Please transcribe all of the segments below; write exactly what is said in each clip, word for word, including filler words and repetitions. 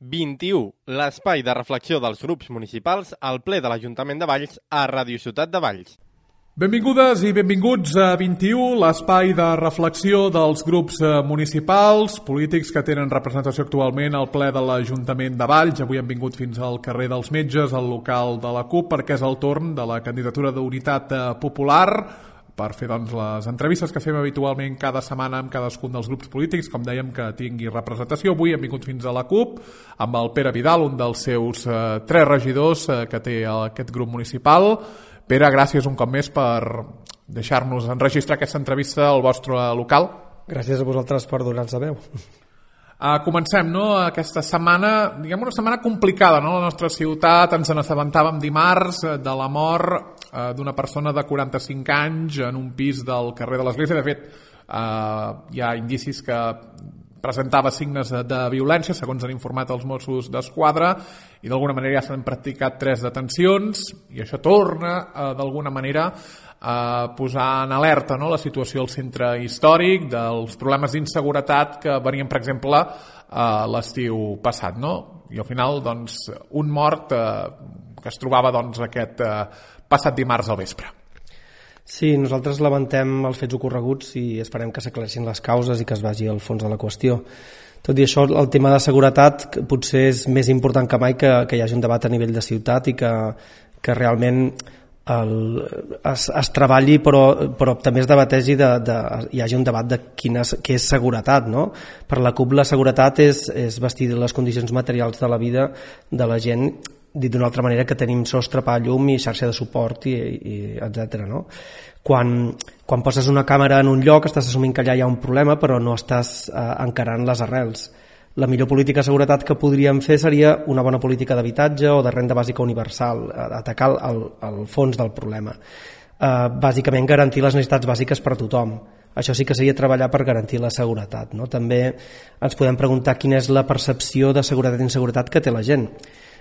vint-i-u, l'espai de reflexió dels grups municipals al ple de l'Ajuntament de Valls a Ràdio Ciutat de Valls. Benvingudes i benvinguts a vint-i-u, l'espai de reflexió dels grups municipals, polítics que tenen representació actualment al ple de l'Ajuntament de Valls. Avui hem vingut fins al carrer dels Metges, al local de la CUP, perquè és el torn de la candidatura d'Unitat Popular per fer doncs, les entrevistes que fem habitualment cada setmana amb cadascun dels grups polítics, com dèiem, que tingui representació. Avui hem vingut fins a la CUP amb el Pere Vidal, un dels seus eh, tres regidors eh, que té aquest grup municipal. Pere, gràcies un cop més per deixar-nos enregistrar aquesta entrevista al vostre local. Gràcies a vosaltres per donar-nos la veu. Uh, comencem, no?, aquesta setmana, diguem una setmana complicada, no?, a la nostra ciutat. Ens n'assabentàvem dimarts de la mort uh, d'una persona de quaranta-cinc anys en un pis del carrer de l'Església. De fet, uh, hi ha indicis que presentava signes de, de violència, segons han informat els Mossos d'Esquadra, i d'alguna manera ja s'han practicat tres detencions, i això torna, uh, d'alguna manera, a posar en alerta, no?, la situació al centre històric, dels problemes d'inseguretat que venien, per exemple, a l'estiu passat, no? I al final, doncs, un mort eh, que es trobava doncs, aquest eh, passat dimarts al vespre. Sí, nosaltres lamentem els fets ocorreguts i esperem que s'aclareixin les causes i que es vagi al fons de la qüestió. Tot i això, el tema de seguretat potser és més important que mai que, que hi hagi un debat a nivell de ciutat i que, que realment el, es, es treballi, però, però també es debategi de, de, hi hagi un debat de quina, què és seguretat, no? Per la CUP la seguretat és, és vestir les condicions materials de la vida de la gent, dit d'una altra manera, que tenim sostre, pa, llum i xarxa de suport i, i etcètera, no? Quan, quan poses una càmera en un lloc estàs assumint que allà hi ha un problema, però no estàs eh, encarant les arrels. La millor política de seguretat que podríem fer seria una bona política d'habitatge o de renda bàsica universal, atacar el, el fons del problema. Eh, bàsicament garantir les necessitats bàsiques per a tothom. Això sí que seria treballar per garantir la seguretat, no? També ens podem preguntar quina és la percepció de seguretat i inseguretat que té la gent.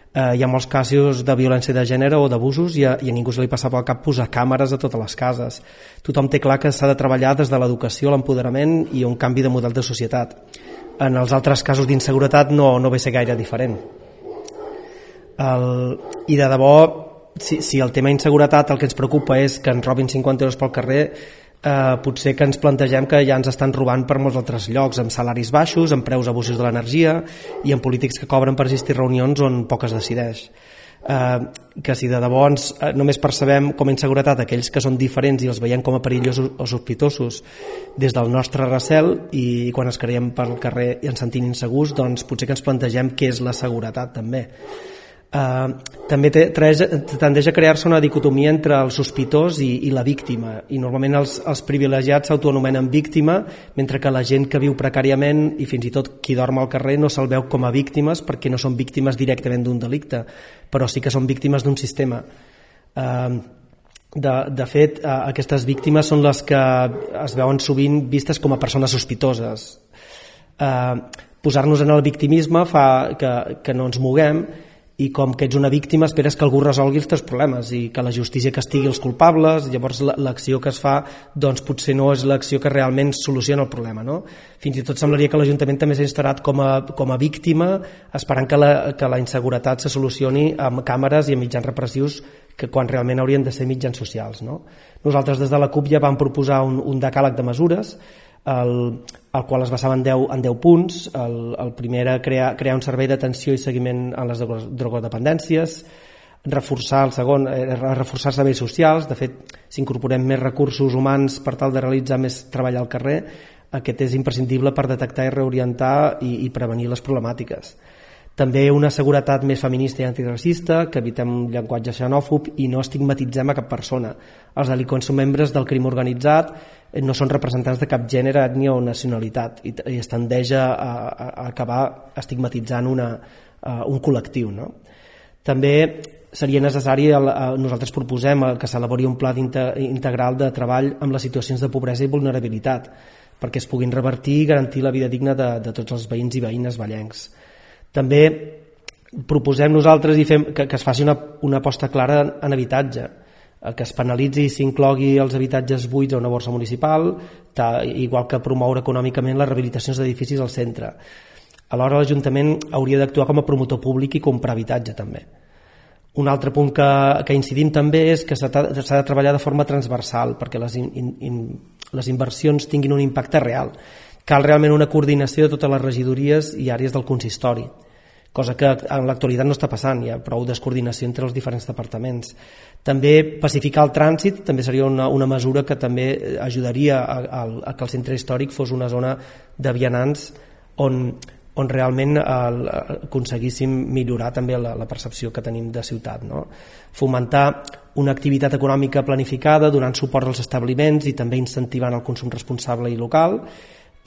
Eh, hi ha molts casos de violència de gènere o d'abusos i a, i a ningú se li passa pel cap posar càmeres a totes les cases. Tothom té clar que s'ha de treballar des de l'educació, l'empoderament i un canvi de model de societat. En els altres casos d'inseguretat no, no ve a ser gaire diferent. El, I de debò, si, si el tema inseguretat el que ens preocupa és que ens robin cinquanta euros pel carrer, eh, potser que ens plantegem que ja ens estan robant per molts altres llocs, amb salaris baixos, amb preus abusius de l'energia i amb polítics que cobren per assistir a reunions on poc es decideix. Eh, que si de debò ens, eh, només percebem com a inseguretat aquells que són diferents i els veiem com a perillosos o sospitosos des del nostre recel, i quan es creiem pel carrer i ens sentim insegurs, doncs potser que ens plantegem què és la seguretat també. Uh, també té, tres, tendeix a crear-se una dicotomia entre el sospitós i, i la víctima, i normalment els, els privilegiats s'autoanomenen víctima, mentre que la gent que viu precàriament i fins i tot qui dorm al carrer no se'l veu com a víctimes perquè no són víctimes directament d'un delicte, però sí que són víctimes d'un sistema. Uh, de, de fet, uh, aquestes víctimes són les que es veuen sovint vistes com a persones sospitoses. Uh, posar-nos en el victimisme fa que, que no ens moguem, i com que ets una víctima esperes que algú resolgui els teus problemes i que la justícia castigui els culpables. Llavors l'acció que es fa doncs potser no és l'acció que realment soluciona el problema, no? Fins i tot semblaria que l'Ajuntament també s'ha instal·lat com a, com a víctima, esperant que la, que la inseguretat se solucioni amb càmeres i amb mitjans repressius, que quan realment haurien de ser mitjans socials, no? Nosaltres des de la CUP ja vam proposar un, un decàleg de mesures, el, el qual es basava en deu, en deu punts. El, el primer era crear, crear un servei d'atenció i seguiment en les drogodependències, reforçar el segon, era reforçar serveis socials. De fet, si incorporem més recursos humans per tal de realitzar més treball al carrer, aquest és imprescindible per detectar i reorientar i, i prevenir les problemàtiques. També una seguretat més feminista i antiracista, que evitem un llenguatge xenòfob i no estigmatitzem a cap persona. Els delinqüents són membres del crim organitzat, no són representants de cap gènere, ètnia o nacionalitat, i, i es tendeix a, a, a acabar estigmatitzant una, uh, un col·lectiu, no? També seria necessari, el, uh, nosaltres proposem que s'elabori un pla integral de treball amb les situacions de pobresa i vulnerabilitat, perquè es puguin revertir i garantir la vida digna de, de tots els veïns i veïnes vallencs. També proposem nosaltres i fem que, que es faci una, una aposta clara en, en habitatge, que es penalitzi i s'inclogui els habitatges buits a una borsa municipal, ta, igual que promoure econòmicament les rehabilitacions d'edificis al centre. Alhora l'Ajuntament hauria d'actuar com a promotor públic i comprar habitatge també. Un altre punt que, que incidim també és que s'ha de, s'ha de treballar de forma transversal perquè les, in, in, les inversions tinguin un impacte real. Cal realment una coordinació de totes les regidories i àrees del consistori, cosa que en l'actualitat no està passant, hi ha prou descoordinació entre els diferents departaments. També pacificar el trànsit també seria una, una mesura que també ajudaria a, a, a que el centre històric fos una zona de vianants on, on realment el, aconseguíssim millorar també la, la percepció que tenim de ciutat, no? Fomentar una activitat econòmica planificada, donant suport als establiments i també incentivant el consum responsable i local.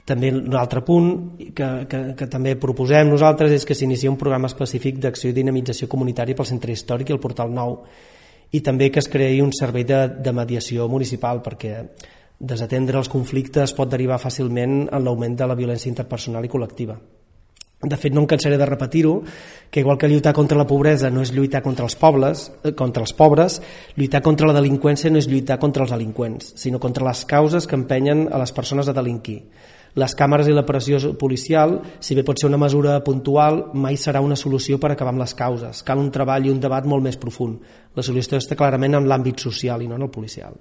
També un altre punt que, que, que també proposem nosaltres és que s'inicia un programa específic d'acció i dinamització comunitària pel centre històric i el portal nou, i també que es creï un servei de, de mediació municipal perquè desatendre els conflictes pot derivar fàcilment en l'augment de la violència interpersonal i col·lectiva. De fet, no em cansaré de repetir-ho, que igual que lluitar contra la pobresa no és lluitar contra els pobles, contra els pobres, lluitar contra la delinqüència no és lluitar contra els delinqüents, sinó contra les causes que empenyen a les persones a delinquir. Les càmeres i la pressió policial, si bé pot ser una mesura puntual, mai serà una solució per acabar amb les causes. Cal un treball i un debat molt més profund. La solució està clarament en l'àmbit social i no en el policial.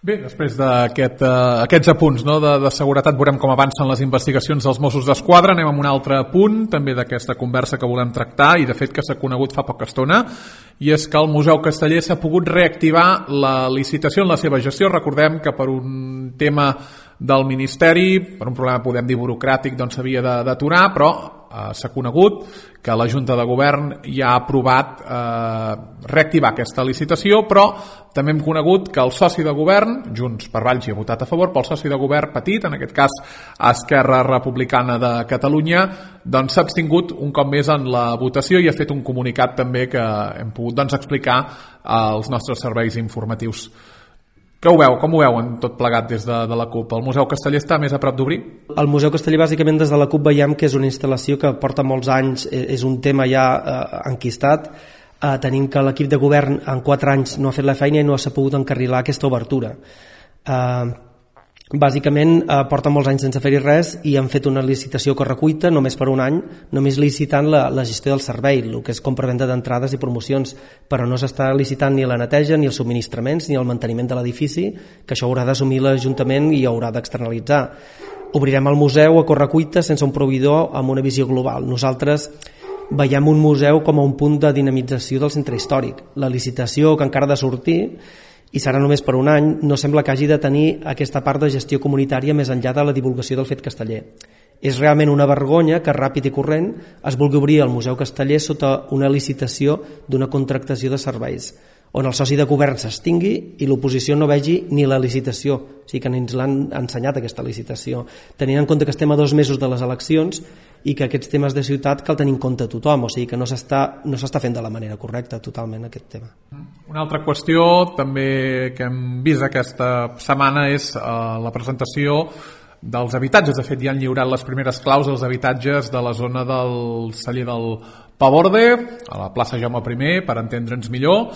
Bé, després d'aquests aquest, uh, apunts, no, de, de seguretat, veurem com avancen les investigacions dels Mossos d'Esquadra. Anem amb un altre punt, també d'aquesta conversa que volem tractar, i de fet que s'ha conegut fa poca estona, i és que el Museu Casteller s'ha pogut reactivar la licitació en la seva gestió. Recordem que per un tema del Ministeri, per un problema podem dir burocràtic, doncs s'havia d'aturar, però eh, s'ha conegut que la Junta de Govern ja ha aprovat eh, reactivar aquesta licitació, però també hem conegut que el soci de govern, Junts per Valls, hi ha votat a favor, però el soci de govern petit, en aquest cas Esquerra Republicana de Catalunya, doncs s'ha abstingut un cop més en la votació i ha fet un comunicat també que hem pogut doncs, explicar als nostres serveis informatius. Què ho veu? Com ho veuen tot plegat des de, de la CUP? El Museu Casteller està més a prop d'obrir? El Museu Casteller, bàsicament, des de la CUP veiem que és una instal·lació que porta molts anys, és un tema ja eh, enquistat. Eh, tenim que l'equip de govern en quatre anys no ha fet la feina i no ha sabut encarrilar aquesta obertura. Eh, bàsicament eh, porta molts anys sense fer-hi res i han fet una licitació a correcuita només per un any, només licitant la, la gestió del servei, el que és compra-venda d'entrades i promocions, però no s'està licitant ni la neteja, ni els subministraments, ni el manteniment de l'edifici, que això haurà d'assumir l'Ajuntament i haurà d'externalitzar. Obrirem el museu a correcuita sense un proveïdor amb una visió global. Nosaltres veiem un museu com a un punt de dinamització del centre històric. La licitació, que encara ha de sortir, i serà només per un any, no sembla que hagi de tenir aquesta part de gestió comunitària més enllà de la divulgació del fet casteller. És realment una vergonya que ràpid i corrent es vulgui obrir el Museu Casteller sota una licitació d'una contractació de serveis, on el soci de govern s'extingui i l'oposició no vegi ni la licitació, o sigui que ens l'han ensenyat aquesta licitació, tenint en compte que estem a dos mesos de les eleccions i que aquests temes de ciutat cal tenir en compte tothom, o sigui que no s'està no s'està fent de la manera correcta totalment aquest tema. Una altra qüestió també que hem vist aquesta setmana és eh, la presentació dels habitatges. De fet, ja han lliurat les primeres claus als habitatges de la zona del celler del Paborde, a la plaça Jaume primer, per entendre'ns millor.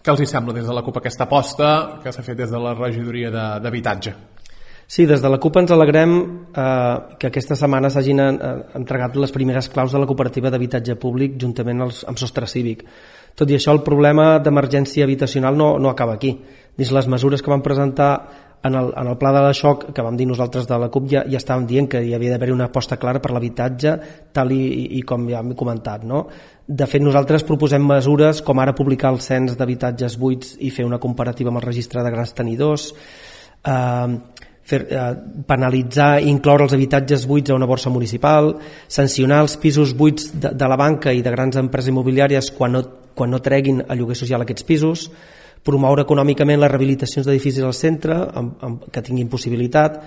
Què els hi sembla des de la CUP aquesta aposta que s'ha fet des de la regidoria d'habitatge? Sí, des de la CUP ens alegrem eh, que aquesta setmana s'hagin eh, entregat les primeres claus de la cooperativa d'habitatge públic juntament als, amb Sostre Cívic. Tot i això, el problema d'emergència habitacional no, no acaba aquí. Dins les mesures que vam presentar en el, en el pla de xoc que vam dir nosaltres de la CUP ja, ja estàvem dient que hi havia d'haver una aposta clara per l'habitatge, tal i, i com ja hem comentat, no? De fet, nosaltres proposem mesures com ara publicar el cens d'habitatges buits i fer una comparativa amb el registre de grans tenidors, eh, fer, eh, penalitzar i incloure els habitatges buits a una borsa municipal, sancionar els pisos buits de, de la banca i de grans empreses immobiliàries quan no, quan no treguin a lloguer social aquests pisos, promoure econòmicament les rehabilitacions d'edificis al centre amb, amb, que tinguin possibilitat.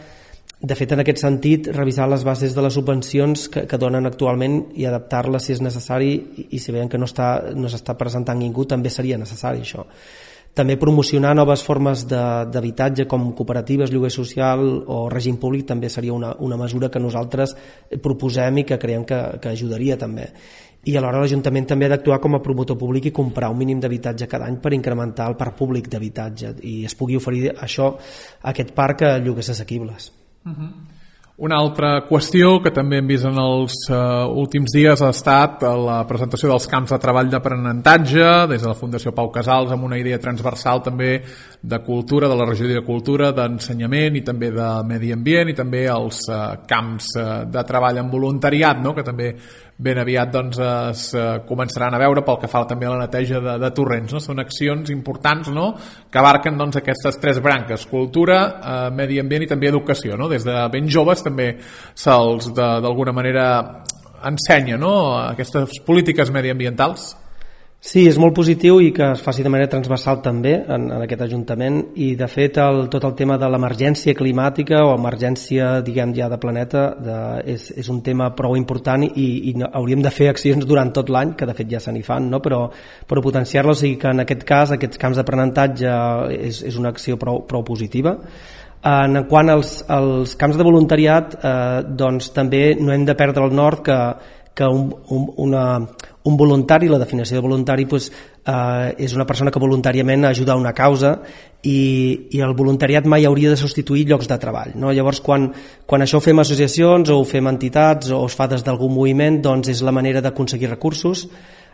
De fet, en aquest sentit, revisar les bases de les subvencions que, que donen actualment i adaptar-les si és necessari, i, i si veiem que no està, no s'està presentant ningú, també seria necessari això. També promocionar noves formes d'habitatge com cooperatives, lloguer social o règim públic també seria una, una mesura que nosaltres proposem i que creiem que, que ajudaria també. I alhora l'Ajuntament també ha d'actuar com a promotor públic i comprar un mínim d'habitatge cada any per incrementar el parc públic d'habitatge i es pugui oferir això a aquest parc a lloguers assequibles. Uh-huh. Una altra qüestió que també hem vist en els uh, últims dies ha estat la presentació dels camps de treball d'aprenentatge des de la Fundació Pau Casals, amb una idea transversal també de cultura, de la regidoria de cultura, d'ensenyament i també de medi ambient, i també els uh, camps uh, de treball en voluntariat, no?, que també ben aviat doncs, es uh, començaran a veure pel que fa també a la neteja de, de torrents. No? Són accions importants, no?, que abarquen doncs, aquestes tres branques: cultura, uh, medi ambient i també educació. No? Des de ben joves també se'ls d'alguna manera ensenya, no?, aquestes polítiques mediambientals. Sí, és molt positiu i que es faci de manera transversal també en, en aquest Ajuntament, i de fet el, tot el tema de l'emergència climàtica o emergència, diguem ja, de planeta de, és, és un tema prou important i, i hauríem de fer accions durant tot l'any, que de fet ja se n'hi fan, no? però, però potenciar-lo, o sigui que en aquest cas aquests camps d'aprenentatge és, és una acció prou, prou positiva. En quant als, als camps de voluntariat, eh, doncs també no hem de perdre el nord que, que un, un, una, un voluntari, la definició de voluntari pues, eh, és una persona que voluntàriament ajuda a una causa, i, i el voluntariat mai hauria de substituir llocs de treball. No? Llavors, quan, quan això ho fem associacions o ho fem entitats o es fa des d'algun moviment, doncs és la manera d'aconseguir recursos,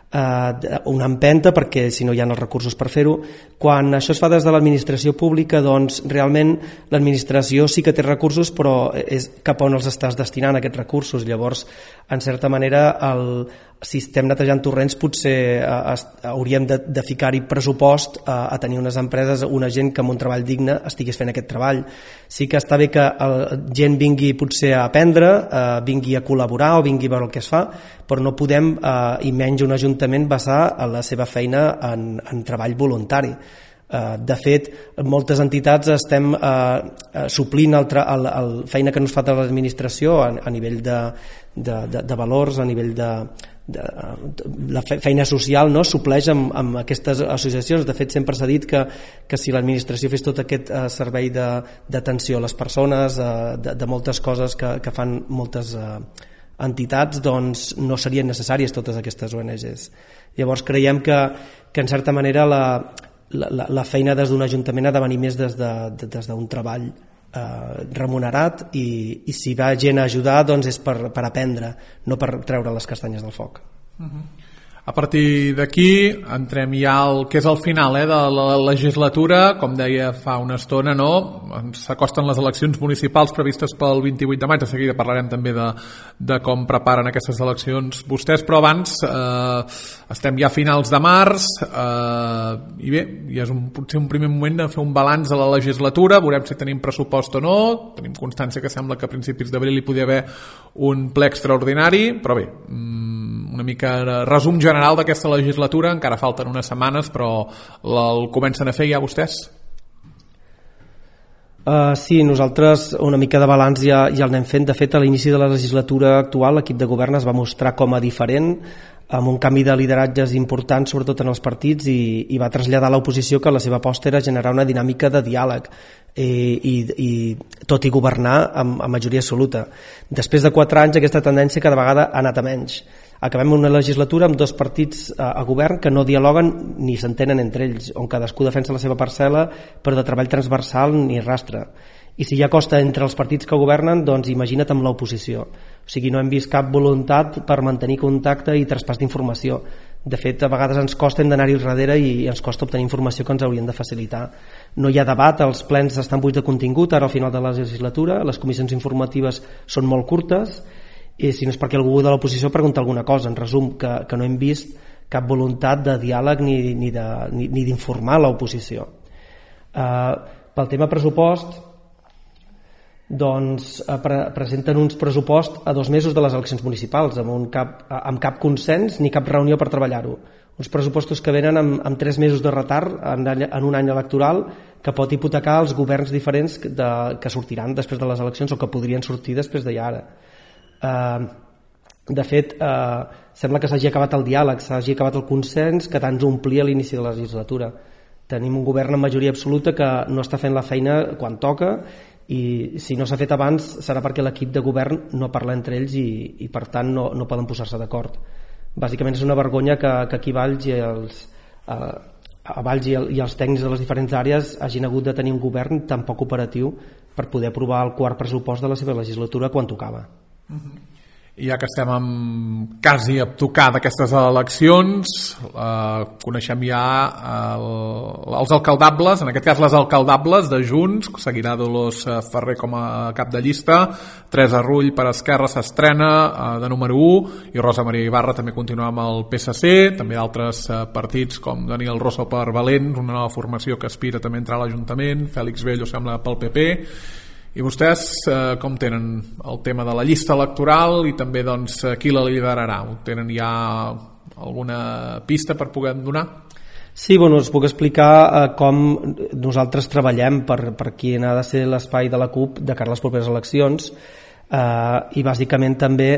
Uh, una empenta, perquè si no hi ha els recursos per fer-ho. Quan això es fa des de l'administració pública, doncs realment l'administració sí que té recursos, però és cap on els estàs destinant aquests recursos. Llavors, en certa manera, el, si estem netejant torrents, potser uh, es, hauríem de, de ficar-hi pressupost uh, a tenir unes empreses, una gent que amb un treball digne estigués fent aquest treball. Sí que està bé que la gent vingui potser a aprendre, uh, vingui a col·laborar o vingui a veure el que es fa, però no podem, uh, i menys un ajuntament, basar la seva feina en, en treball voluntari. Uh, de fet, moltes entitats estem uh, suplint el, el, el feina que no es fa de l'administració a, a nivell de, de, de, de valors, a nivell de, de, de la feina social, no? Supleix amb, amb aquestes associacions. De fet, sempre s'ha dit que, que si l'administració fes tot aquest uh, servei d'atenció a les persones, uh, de, de moltes coses que, que fan moltes uh, entitats, doncs no serien necessàries totes aquestes O N Ges. Llavors creiem que, que en certa manera la, la, la feina des d'un ajuntament ha de venir més des d'un de, des d'un treball eh, remunerat, i, i si va gent a ajudar, doncs és per, per aprendre, no per treure les castanyes del foc. Uh-huh. A partir d'aquí entrem ja al que és el final eh, de la legislatura. Com deia fa una estona, no? S'acosten les eleccions municipals previstes pel vint-i-vuit de maig. De seguida parlarem també de, de com preparen aquestes eleccions vostès, però abans eh, estem ja a finals de març eh, i bé, ja és un, potser un primer moment de fer un balanç de la legislatura. Veurem si tenim pressupost o no. Tenim constància que sembla que a principis d'abril hi podia haver un ple extraordinari, però bé, una mica de resum general d'aquesta legislatura. Encara falten unes setmanes, però el comencen a fer ja vostès? Uh, sí, nosaltres una mica de balanç ja, ja el anem fent. De fet, a l'inici de la legislatura actual l'equip de govern es va mostrar com a diferent, amb un canvi de lideratges important, sobretot en els partits, i, i va traslladar a l'oposició que la seva aposta era generar una dinàmica de diàleg i, i, i tot i governar amb, amb majoria absoluta. Després de quatre anys aquesta tendència cada vegada ha anat a menys. Acabem una legislatura amb dos partits a, a govern que no dialoguen ni s'entenen entre ells, on cadascú defensa la seva parcel·la, però de treball transversal ni rastre. I si ja costa entre els partits que governen, doncs imagina't amb l'oposició. O sigui, no hem vist cap voluntat per mantenir contacte i traspàs d'informació. De fet, a vegades ens costa, hem d'anar-hi al darrere i ens costa obtenir informació que ens haurien de facilitar. No hi ha debat, els plens estan buits de contingut ara al final de la legislatura, les comissions informatives són molt curtes, i si no és perquè algú de l'oposició pregunta alguna cosa. En resum, que, que no hem vist cap voluntat de diàleg ni, ni, de, ni, ni d'informar l'oposició. Uh, pel tema pressupost, doncs uh, pre presenten uns pressupost a dos mesos de les eleccions municipals, amb, un cap, uh, amb cap consens ni cap reunió per treballar-ho. Uns pressupostos que venen amb, amb tres mesos de retard en, en un any electoral, que pot hipotecar els governs diferents de, que sortiran després de les eleccions o que podrien sortir després de ja ara. Uh, de fet, uh, sembla que s'hagi acabat el diàleg, s'hagi acabat el consens que tant omplia a l'inici de la legislatura. Tenim un govern amb majoria absoluta que no està fent la feina quan toca, i si no s'ha fet abans serà perquè l'equip de govern no parla entre ells i, i per tant no, no poden posar-se d'acord. Bàsicament és una vergonya que, que aquí a Valls i els, uh, a Valls i, el, i els tècnics de les diferents àrees hagin hagut de tenir un govern tan poc operatiu per poder aprovar el quart pressupost de la seva legislatura quan tocava. Uh-huh. I ja que estem amb, quasi a tocar d'aquestes eleccions, eh, coneixem ja el, els alcaldables, en aquest cas les alcaldables de Junts, seguirà Dolors Ferrer com a cap de llista, Teresa Rull per Esquerra s'estrena eh, de número u, i Rosa Maria Ibarra també continua amb el P S C, també d'altres eh, partits com Daniel Rosso per Valent, una nova formació que aspira també a entrar a l'Ajuntament, Fèlix Bello sembla pel P P. I vostès eh, com tenen el tema de la llista electoral i també doncs, qui la liderarà? Ho tenen ja alguna pista per poder donar? Sí, bueno, us puc explicar eh, com nosaltres treballem per, per quin ha de ser l'espai de la CUP de cara a les properes eleccions, eh, i bàsicament també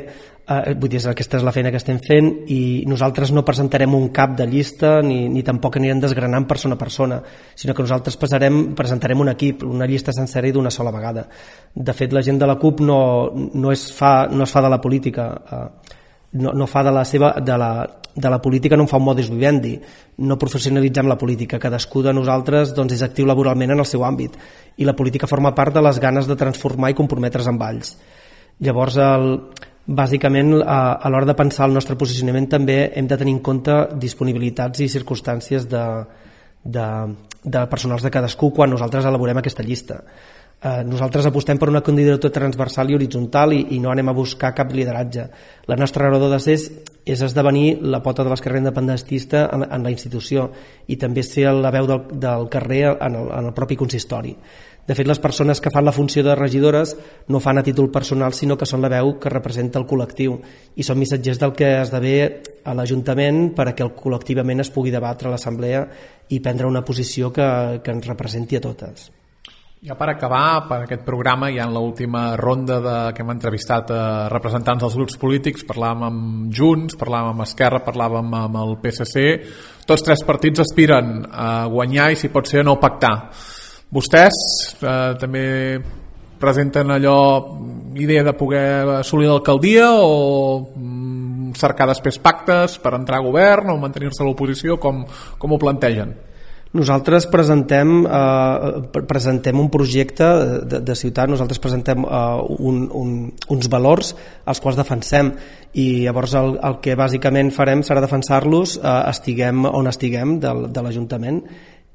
eh, vull dir, aquesta és la feina que estem fent, i nosaltres no presentarem un cap de llista ni, ni tampoc anirem desgranant persona a persona, sinó que nosaltres passarem, presentarem un equip, una llista sencera i d'una sola vegada. De fet, la gent de la CUP no, no, es, fa, no es fa de la política, eh, no, no fa de la seva de la, de la política no en fa un modus vivendi, no professionalitzem la política, cadascú de nosaltres doncs, és actiu laboralment en el seu àmbit, i la política forma part de les ganes de transformar i comprometre's amb ells. Llavors, el, bàsicament, a, a l'hora de pensar el nostre posicionament també hem de tenir en compte disponibilitats i circumstàncies de, de, de personals de cadascú quan nosaltres elaborem aquesta llista. Eh, nosaltres apostem per una candidatura transversal i horitzontal i, i no anem a buscar cap lideratge. La nostra raó de ser és, és esdevenir la pota de l'esquerra independentista en, en la institució i també ser la veu del, del carrer en el, en el propi consistori. De fet, les persones que fan la funció de regidores no fan a títol personal, sinó que són la veu que representa el col·lectiu i són missatgers del que esdevé a l'Ajuntament perquè el col·lectivament es pugui debatre a l'Assemblea i prendre una posició que, que ens representi a totes. Ja per acabar, per aquest programa, ja en l'última ronda de, que hem entrevistat a representants dels grups polítics, parlàvem amb Junts, parlàvem amb Esquerra, parlàvem amb el P S C. Tots tres partits aspiren a guanyar i, si pot ser, a no pactar. Vostès eh, també presenten allò, idea de poder assolir l'alcaldia o mm, cercar després pactes per entrar a govern o mantenir-se a l'oposició? Com, com ho plantegen? Nosaltres presentem, eh, presentem un projecte de, de ciutat, nosaltres presentem eh, un, un, uns valors als quals defensem i llavors el, el que bàsicament farem serà defensar-los eh, estiguem on estiguem del, de l'Ajuntament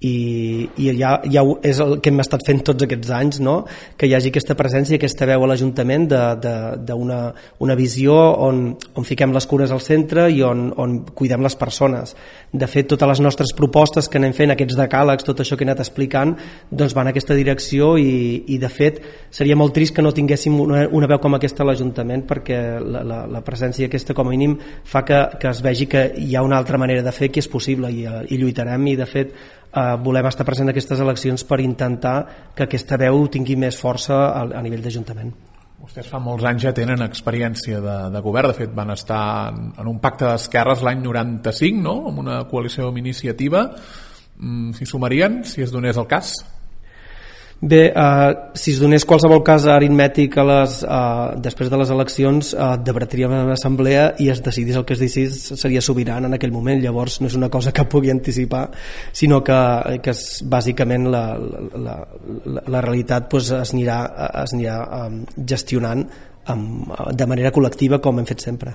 i, i ja, ja és el que hem estat fent tots aquests anys, no? Que hi hagi aquesta presència, aquesta veu a l'Ajuntament d'una una visió on, on fiquem les cures al centre i on, on cuidem les persones. De fet, totes les nostres propostes que anem fent, aquests decàlegs, tot això que he anat explicant, doncs van en aquesta direcció i, i de fet seria molt trist que no tinguéssim una, una veu com aquesta a l'Ajuntament perquè la, la, la presència aquesta com a mínim fa que, que es vegi que hi ha una altra manera de fer que és possible i, i lluitarem i de fet Uh, volem estar present en aquestes eleccions per intentar que aquesta veu tingui més força a, a nivell d'Ajuntament. Vostès fa molts anys ja tenen experiència de, de govern, de fet van estar en, en un pacte d'esquerres l'any noranta-cinc, no? Amb una coalició amb iniciativa. Mm, s'hi sumarien, si es donés el cas? Bé, eh, si es donés qualsevol cas aritmètic a les, eh, després de les eleccions eh, debatríem en l'assemblea i es decidís el que es decidís seria sobiran en aquell moment, llavors no és una cosa que pugui anticipar sinó que, que és, bàsicament la, la, la, la realitat pues, es anirà, es anirà um, gestionant um, de manera col·lectiva com hem fet sempre.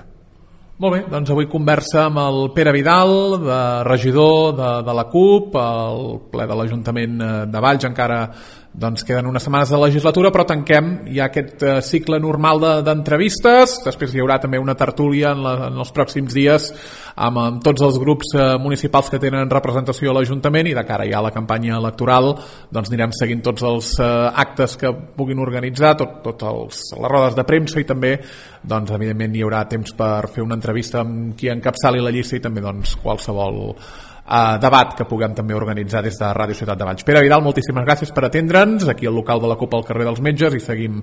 Molt bé, doncs avui conversa amb el Pere Vidal, de regidor de, de la CUP, el ple de l'Ajuntament de Valls, encara doncs queden unes setmanes de legislatura, però tanquem ja aquest uh, cicle normal d'entrevistes. De, després hi haurà també una tertúlia en, la, en els pròxims dies amb, amb tots els grups uh, municipals que tenen representació a l'Ajuntament i de cara ja a la campanya electoral doncs anirem seguint tots els uh, actes que puguin organitzar, tot, tot els, les rodes de premsa i també doncs evidentment hi haurà temps per fer una entrevista amb qui encapçali la llista i també doncs qualsevol Uh, debat que puguem també organitzar des de Ràdio Ciutat de Valls. Pere Vidal, moltíssimes gràcies per atendre'ns aquí al local de la CUP al carrer dels Metges i seguim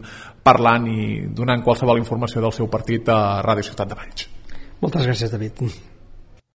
parlant i donant qualsevol informació del seu partit a Ràdio Ciutat de Valls. Moltes gràcies, David.